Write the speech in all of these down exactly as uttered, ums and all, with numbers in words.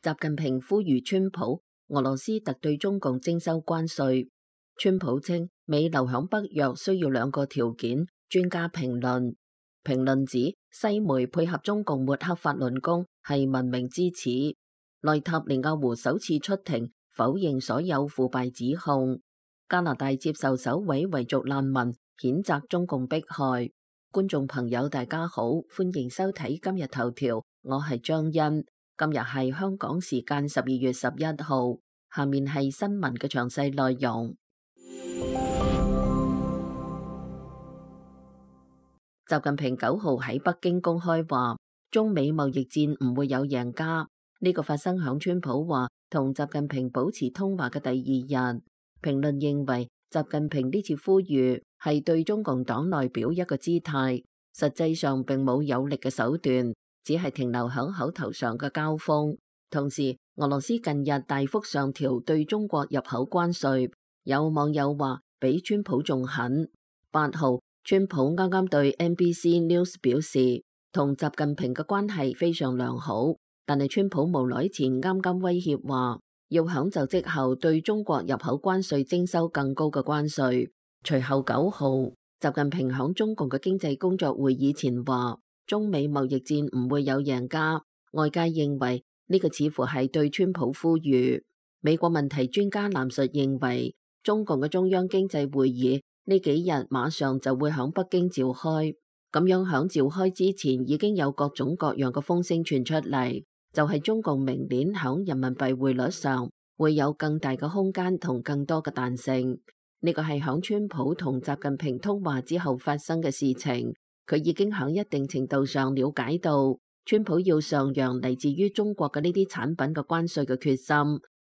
習近平呼籲川普，俄羅斯特對中共徵收關稅。川普稱美留響北約需要兩個條件。專家評論，評論指西媒配合中共抹黑法輪功係文明之恥。內塔尼亞胡首次出庭否認所有腐敗指控。加拿大接受首位維族難民譴責中共迫害。觀眾朋友大家好，歡迎收睇今日頭條，我係張欣。今日係香港時間十二月十一號，下面係新聞嘅詳細內容。習近平九號喺北京公開話，中美貿易戰唔會有贏家。呢個發生響川普話同習近平保持通話嘅第二日。評論認為，習近平呢次呼籲係對中共黨內表一個姿態，實際上並冇有力嘅手段，只係停留響口頭上嘅交鋒。同時，俄羅斯近日大幅上調對中國入口關稅，有網友話比川普仲狠。八號，川普啱啱對 N B C News 表示，同習近平嘅關係非常良好，但係川普無耐前啱啱威脅話，要響就職後對中國入口關稅徵收更高嘅關稅。隨後九號，習近平響中共嘅經濟工作會議前話，中美貿易戰唔會有贏家。外界認為呢個似乎係對川普呼籲。美國問題專家藍述認為，中共嘅中央經濟會議呢幾日馬上就會響北京召開，咁樣響召開之前已經有各種各樣嘅風聲傳出嚟，就係中共明年響人民幣匯率上會有更大嘅空間同更多嘅彈性。呢個係響川普同習近平通話之後發生嘅事情，佢已經響一定程度上了解到川普要上揚嚟自於中國嘅呢啲產品嘅關稅嘅決心，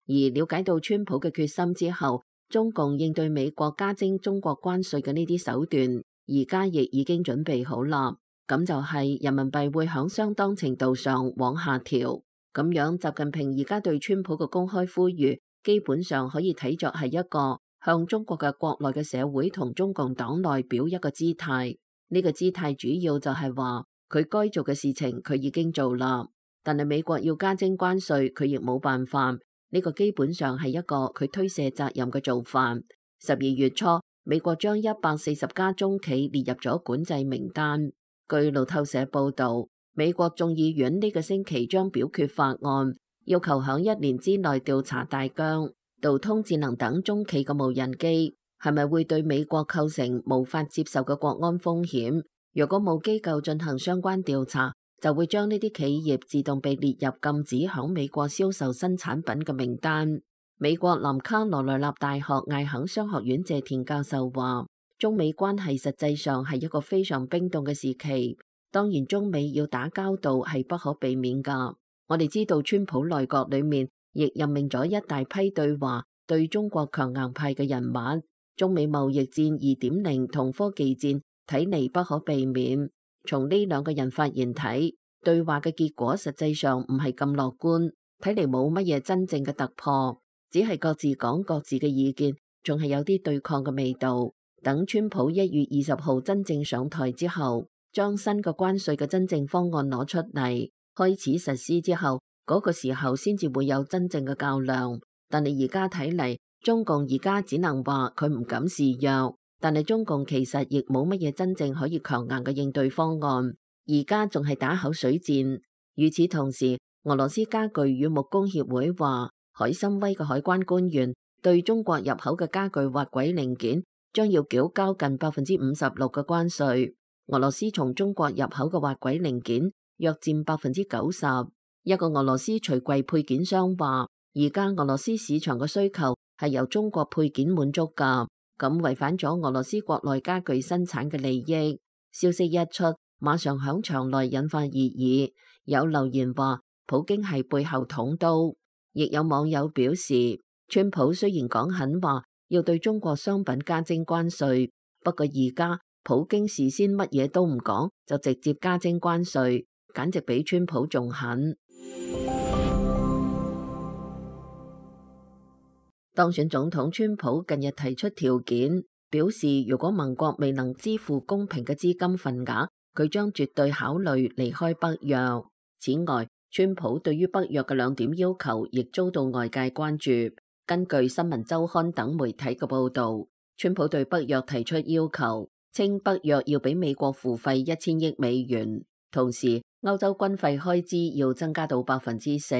而了解到川普嘅決心之後，中共應對美國加徵中國關稅嘅呢啲手段，而家亦已經準備好啦。咁就係人民幣會響相當程度上往下調。咁樣，習近平而家對川普嘅公開呼籲，基本上可以睇作係一個向中國嘅國內嘅社會同中共黨內表一個姿態。呢個姿態主要就係話，佢該做嘅事情佢已經做啦，但係美國要加徵關稅，佢亦冇辦法。呢個基本上係一個佢推卸責任嘅做法。十二月初，美國將一百四十家中企列入咗管制名單。據路透社報道，美國眾議院呢個星期將表決法案，要求響一年之內調查大疆、道通智能等中企嘅無人機係咪會對美國構成無法接受嘅國安風險。如果冇機構進行相關調查，就會將呢啲企業自動被列入禁止響美國銷售新產品嘅名單。美國南卡羅來納大學艾肯商學院謝田教授話，中美關係實際上係一個非常冰凍嘅時期，當然中美要打交道係不可避免噶。我哋知道川普內閣裏面亦任命咗一大批對華對中國強硬派嘅人物，中美貿易戰二點零同科技戰睇嚟不可避免。從呢兩個人發言睇，對話嘅結果實際上唔係咁樂觀，睇嚟冇乜嘢真正嘅突破，只係各自講各自嘅意見，仲係有啲對抗嘅味道。等川普一月二十號真正上台之後，將新嘅關稅嘅真正方案攞出嚟，開始實施之後，嗰個時候先至會有真正嘅較量。但係而家睇嚟，中共而家只能話佢唔敢示弱。但係中共其實亦冇乜嘢真正可以強硬嘅應對方案，而家仲係打口水戰。與此同時，俄羅斯家具與木工協會話，海參崴嘅海關官員對中國入口嘅家具滑軌零件將要繳交近百分之五十六嘅關稅。俄羅斯從中國入口嘅滑軌零件約佔百分之九十。一個俄羅斯櫥櫃配件商話，而家俄羅斯市場嘅需求係由中國配件滿足㗎。咁違反咗俄羅斯國內家具生產嘅利益。消息一出，馬上響場內引發熱議。有留言話，普京係背後捅刀。亦有網友表示，川普雖然講狠話，要對中國商品加徵關稅，不過而家普京事先乜嘢都唔講，就直接加徵關稅，簡直比川普仲狠。當選總統川普近日提出條件，表示如果盟國未能支付公平嘅資金份額，佢將絕對考慮離開北約。此外，川普對於北約嘅兩點要求亦遭到外界關注。根據新聞週刊等媒體嘅報導，川普對北約提出要求，稱北約要俾美國付費一千億美元，同時歐洲軍費開支要增加到百分之四。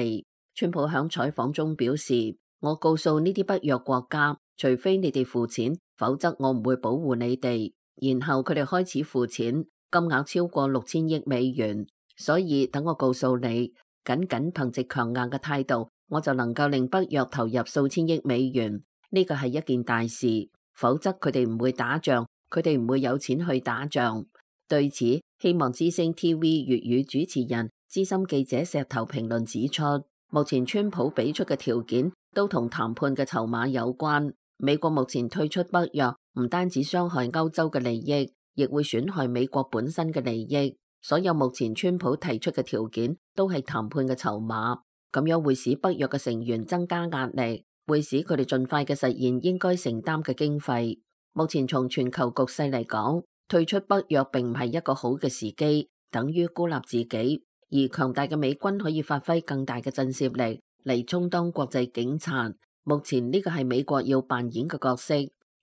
川普響採訪中表示：我告訴呢啲北約國家，除非你哋付錢，否則我唔會保護你哋。然後佢哋開始付錢，金額超過六千億美元。所以等我告訴你，僅僅憑藉強硬嘅態度，我就能夠令北約投入數千億美元，呢個係一件大事。否則佢哋唔會打仗，佢哋唔會有錢去打仗。對此，希望之聲 T V 粵語主持人資深記者石頭評論指出，目前川普俾出嘅條件都同談判嘅籌碼有關。美國目前退出北約，唔單止傷害歐洲嘅利益，亦會損害美國本身嘅利益。所有目前川普提出嘅條件都係談判嘅籌碼，咁樣會使北約嘅成員增加壓力，會使佢哋盡快嘅實現應該承擔嘅經費。目前從全球局勢嚟講，退出北約並唔係一個好嘅時機，等於孤立自己，而強大嘅美軍可以發揮更大嘅震懾力嚟充當國際警察。目前呢個係美國要扮演嘅角色。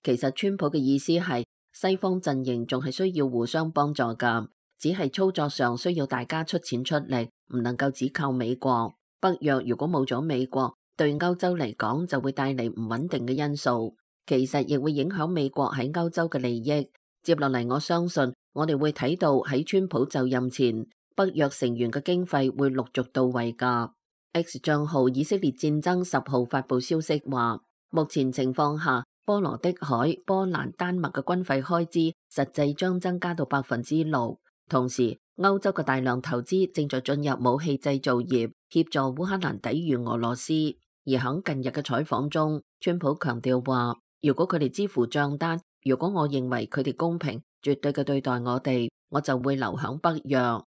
其實川普嘅意思係西方陣營仲係需要互相幫助㗎。只係操作上需要大家出錢出力，唔能夠只靠美國。北約如果冇咗美國，對歐洲嚟講就會帶嚟唔穩定嘅因素，其實亦會影響美國喺歐洲嘅利益。接落嚟，我相信我哋會睇到喺川普就任前，北約成員嘅經費會陸續到位㗎。X 賬號以色列戰爭十號發佈消息話，目前情況下，波羅的海、波蘭、丹麥嘅軍費開支實際將增加到百分之六。同時，歐洲嘅大量投資正在進入武器製造業，協助烏克蘭抵禦俄羅斯。而喺近日嘅採訪中，川普強調話，如果佢哋支付賬單，如果我認為佢哋公平、絕對嘅對待我哋，我就會留響北約。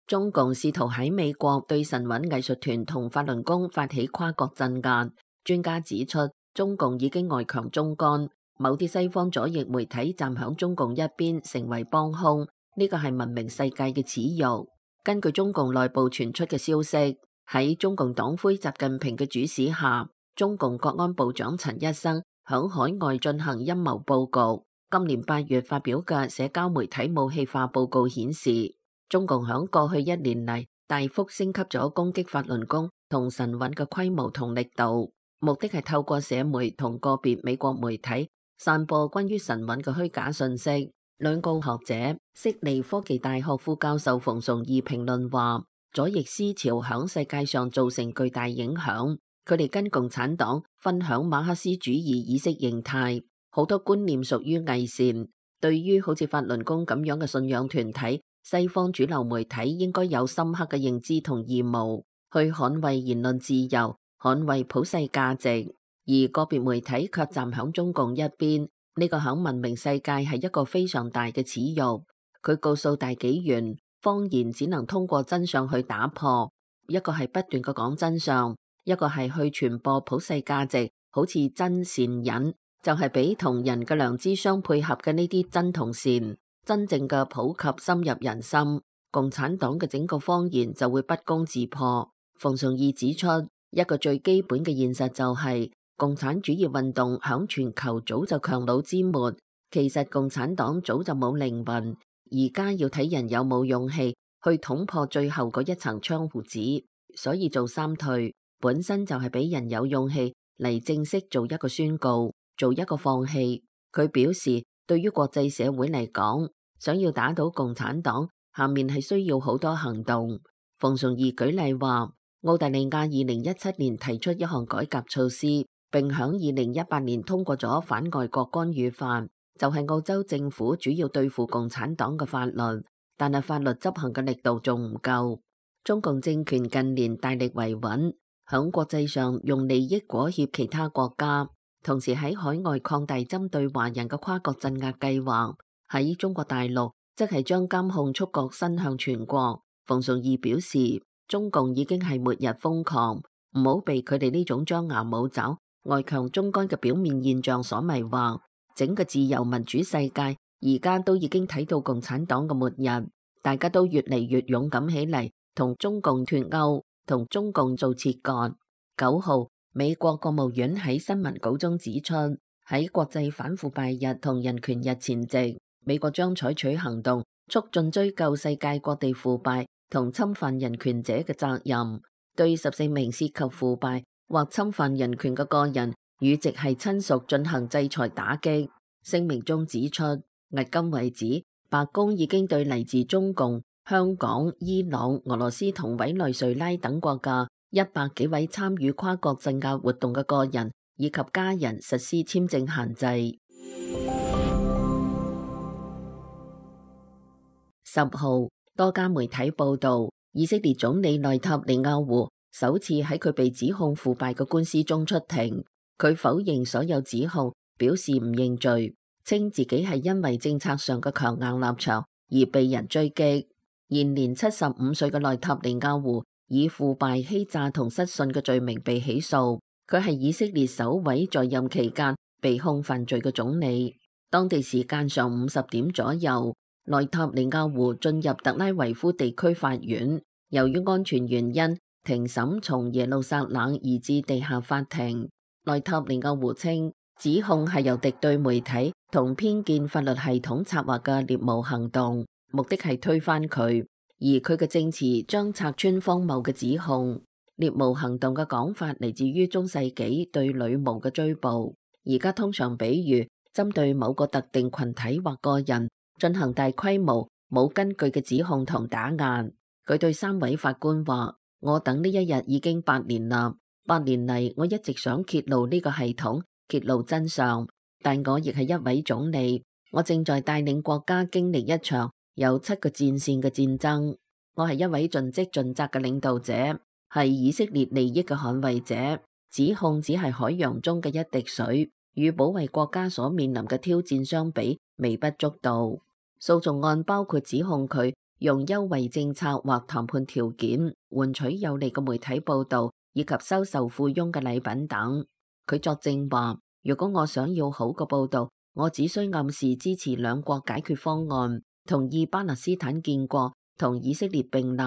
中共試圖喺美國對神韻藝術團同法輪功發起跨國鎮壓。專家指出，中共已經外強中乾。某啲西方左翼媒體站響中共一邊，成為幫兇，呢個係文明世界嘅恥辱。根據中共內部傳出嘅消息，喺中共黨魁習近平嘅主使下，中共國安部長陳一生響海外進行陰謀佈局。今年八月發表嘅社交媒體武器化報告顯示，中共響過去一年嚟大幅升級咗攻擊法輪功同神韻嘅規模同力度，目的係透過社媒同個別美國媒體散播關於神韻嘅虛假信息。兩個學者，悉尼科技大學副教授馮崇義評論話，左翼思潮響世界上造成巨大影響。佢哋跟共產黨分享馬克思主義意識形態，好多觀念屬於偽善。對於好似法輪功咁樣嘅信仰團體，西方主流媒體應該有深刻嘅認知同義務，去捍衛言論自由，捍衛普世價值。而個別媒體卻站響中共一邊，呢個響文明世界係一個非常大嘅恥辱。佢告訴大紀元，謊言只能通過真相去打破，一個係不斷嘅講真相，一個係去傳播普世價值，好似真善忍，就係俾同人嘅良知相配合嘅呢啲真同善，真正嘅普及深入人心，共產黨嘅整個謊言就會不攻自破。馮崇義指出，一個最基本嘅現實就係、是共產主義運動響全球早就強弩之末，其實共產黨早就冇靈魂，而家要睇人有冇勇氣去捅破最後嗰一層窗戶紙，所以做三退本身就係俾人有勇氣嚟正式做一個宣告，做一個放棄。佢表示，對於國際社會嚟講，想要打倒共產黨，下面係需要好多行動。馮崇義舉例話，澳大利亞二零一七年提出一項改革措施，並響二零一八年通過咗反外國干預法，就係澳洲政府主要對付共產黨嘅法律，但係法律執行嘅力度仲唔夠。中共政權近年大力維穩，響國際上用利益裹挾其他國家，同時喺海外擴大針對華人嘅跨國鎮壓計劃。喺中國大陸，即係將監控觸角伸向全國。馮崇義表示，中共已經係末日瘋狂，唔好被佢哋呢種張牙舞爪、外強中乾嘅表面現象所迷惑。整個自由民主世界而家都已經睇到共產黨嘅末日。大家都越嚟越勇敢起嚟，同中共脫鈎，同中共做切割。九號，美國國務院喺新聞稿中指出，喺國際反腐敗日同人權日前夕，美國將採取行動，促進追究世界各地腐敗同侵犯人權者嘅責任，對十四名涉及腐敗或侵犯人權嘅個人與直系親屬進行制裁打擊。聲明中指出，迄今為止，白宮已經對嚟自中共、香港、伊朗、俄羅斯同委內瑞拉等國嘅一百幾位參與跨國鎮壓活動嘅個人以及家人實施簽證限制。十號，多家媒體報道，以色列總理內塔尼亞胡首次喺佢被指控腐敗嘅官司中出庭，佢否認所有指控，表示唔認罪，稱自己係因為政策上嘅強硬立場而被人追擊。現年七十五歲嘅內塔尼亞胡以腐敗、欺詐同失信嘅罪名被起訴，佢係以色列首位在任期間被控犯罪嘅總理。當地時間上午十點左右，內塔尼亞胡進入特拉維夫地區法院，由於安全原因，庭審從耶路撒冷移至地下法庭。內塔尼亞胡稱，指控係由敵對媒體同偏見法律系統策劃嘅獵巫行動，目的係推翻佢，而佢嘅證詞將拆穿荒謬嘅指控。獵巫行動嘅講法嚟自於中世紀對女巫嘅追捕，而家通常比喻針對某個特定群體或個人進行大規模冇根據嘅指控同打壓。佢對三位法官話：我等呢一日已經八年啦，八年嚟我一直想揭露呢個系統，揭露真相，但我亦係一位總理，我正在帶領國家經歷一場有七個戰線嘅戰爭。我係一位盡職盡責嘅領導者，係以色列利益嘅捍衛者。指控只係海洋中嘅一滴水，與保衛國家所面臨嘅挑戰相比，微不足道。訴訟案包括指控佢用優惠政策或談判條件換取有利嘅媒體報道，以及收受附庸嘅禮品等。佢作證話：如果我想要好嘅報道，我只需暗示支持兩國解決方案，同意巴勒斯坦建國，同以色列並立。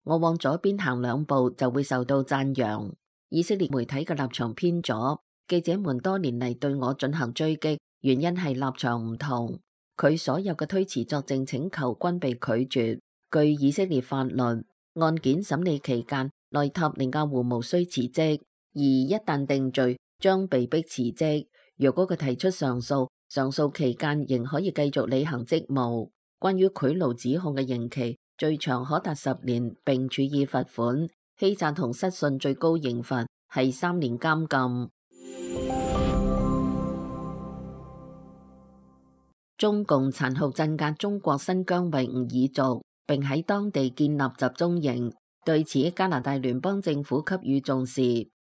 我往左邊行兩步就會受到讚揚。以色列媒體嘅立場偏左，記者們多年嚟對我進行追擊，原因係立場唔同。佢所有嘅推辭作證請求均被拒絕。據以色列法律，案件審理期間，內塔尼亞胡無需辭職，而一旦定罪，將被迫辭職。若果佢提出上訴，上訴期間仍可以繼續履行職務。關於賄賂指控嘅刑期，最長可達十年，並處以罰款。欺詐同失信最高刑罰係三年監禁。中共殘酷鎮壓中國新疆維吾爾族，並喺當地建立集中營。對此，加拿大聯邦政府給予重視。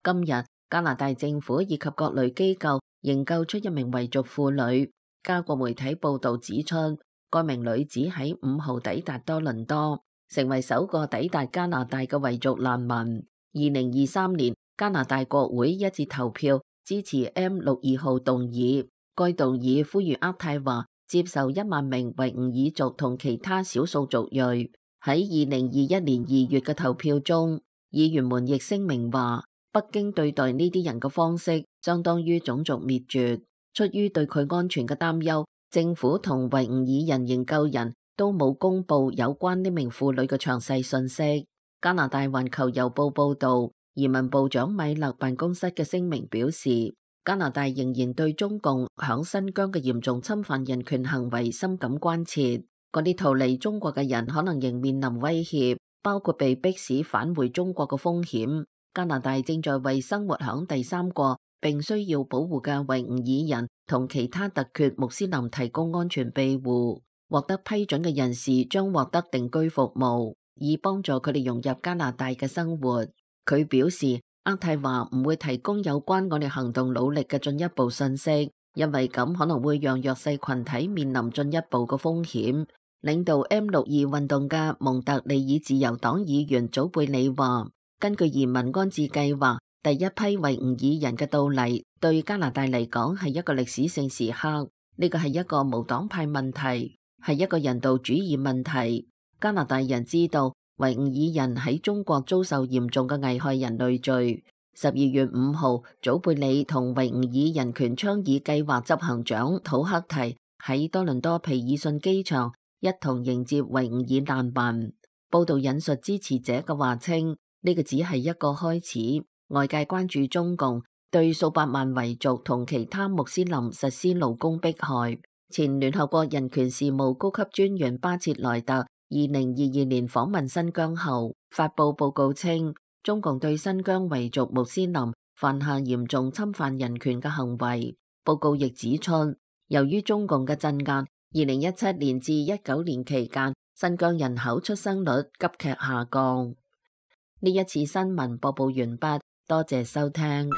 今日，加拿大政府以及各類機構營救出一名維族婦女。加國媒體報道指出，該名女子喺五號抵達多倫多，成為首個抵達加拿大嘅維族難民。二零二三年，加拿大國會一致投票支持 M 六二號動議，該動議呼籲渥太華接受一萬名維吾爾族同其他少數族裔。喺二零二一年二月嘅投票中，議員們亦聲明話，北京對待呢啲人嘅方式相當於種族滅絕。出於對佢安全嘅擔憂，政府同維吾爾人營救人都冇公布有關呢名婦女嘅詳細信息。加拿大環球郵報報道，移民部長米勒辦公室嘅聲明表示，加拿大仍然對中共響新疆嘅嚴重侵犯人權行為深感關切。嗰啲逃離中國嘅人可能仍面臨威脅，包括被迫使返回中國嘅風險。加拿大正在為生活響第三國並需要保護嘅維吾爾人同其他突厥穆斯林提供安全庇護。獲得批准嘅人士將獲得定居服務，以幫助佢哋融入加拿大嘅生活。佢表示，渥太華唔會提供有關我哋行動努力嘅進一步信息，因為咁可能會讓弱勢群體面臨進一步嘅風險。領導 M 六二運動嘅蒙特利爾自由黨議員祖貝里話，根據移民安置計劃，第一批維吾爾人嘅到嚟對加拿大嚟講係一個歷史性時刻。呢個係一個無黨派問題，係一個人道主義問題。加拿大人知道維吾爾人喺中國遭受嚴重嘅危害人類罪。十二月五號，祖貝里同維吾爾人權倡議計劃執行長土克提喺多倫多皮爾遜機場一同迎接維吾爾難民。報道引述支持者嘅話稱，呢個只係一個開始。外界關注中共對數百萬維族同其他穆斯林實施勞工迫害。前聯合國人權事務高級專員巴切萊特二零二二年訪問新疆後，發布報告稱，中共對新疆維族穆斯林犯下嚴重侵犯人權嘅行為。報告亦指出，由於中共嘅鎮壓，二零一七年至一九年期間，新疆人口出生率急劇下降。呢一次新聞播報完畢，多謝收聽。